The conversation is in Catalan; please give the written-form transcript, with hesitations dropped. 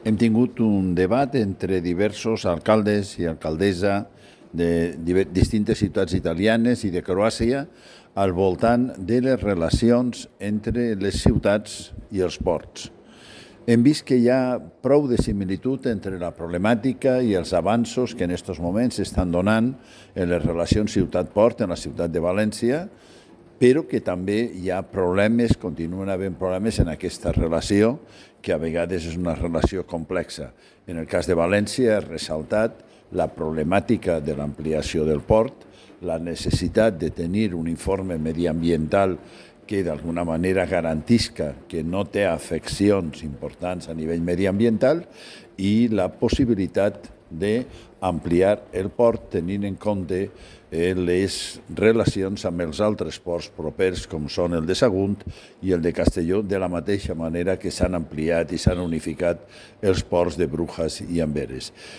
Hem tingut un debat entre diversos alcaldes i alcaldessa de distintes ciutats italianes i de Croàcia al voltant de les relacions entre les ciutats i els ports. Hem vist que hi ha prou de similitud entre la problemàtica i els avanços que en aquests moments s'estan donant en les relacions ciutat-port en la ciutat de València, però que també hi ha problemes, continuen havent problemes en aquesta relació, que a vegades és una relació complexa. En el cas de València ha ressaltat la problemàtica de l'ampliació del port, la necessitat de tenir un informe mediambiental que d'alguna manera garantisca que no té afeccions importants a nivell mediambiental i la possibilitat d'ampliar el port tenint en compte les relacions amb els altres ports propers com són el de Sagunt i el de Castelló, de la mateixa manera que s'han ampliat i s'han unificat els ports de Brujas i Amberes.